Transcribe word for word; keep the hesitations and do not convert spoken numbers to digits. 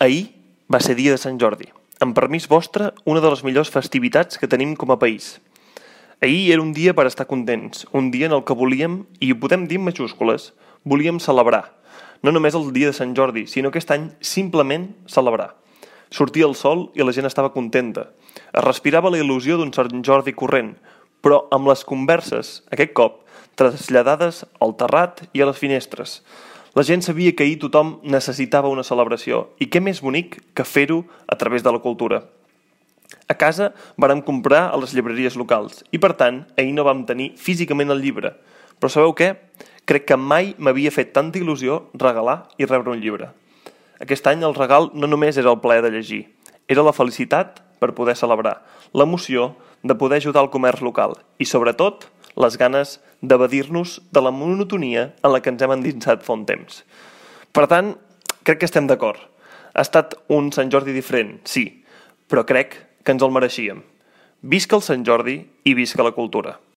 Ahir va ser dia de Sant Jordi. Amb permís vostre, una de les millors festivitats que tenim com a país. Ahir era un dia per estar contents, un dia en el que volíem, i ho podem dir en majúscules, volíem celebrar. No només el dia de Sant Jordi, sinó aquest any simplement celebrar. Sortia el sol i la gent estava contenta. Es respirava la il·lusió d'un Sant Jordi corrent, però amb les converses, aquest cop, traslladades al terrat i a les finestres. La gent sabia que ahir tothom necessitava una celebració, i què més bonic que fer-ho a través de la cultura. A casa vàrem comprar a les llibreries locals, i per tant, ahir no vam tenir físicament el llibre. Però sabeu què? Crec que mai m'havia fet tanta il·lusió regalar i rebre un llibre. Aquest any el regal no només era el plaer de llegir, era la felicitat per poder celebrar, l'emoció de poder ajudar el comerç local i, sobretot, les ganes d'evadir-nos de la monotonia en la que ens hem endinsat fa un temps. Per tant, crec que estem d'acord. Ha estat un Sant Jordi diferent, sí, però crec que ens el mereixíem. Visca el Sant Jordi i visca la cultura.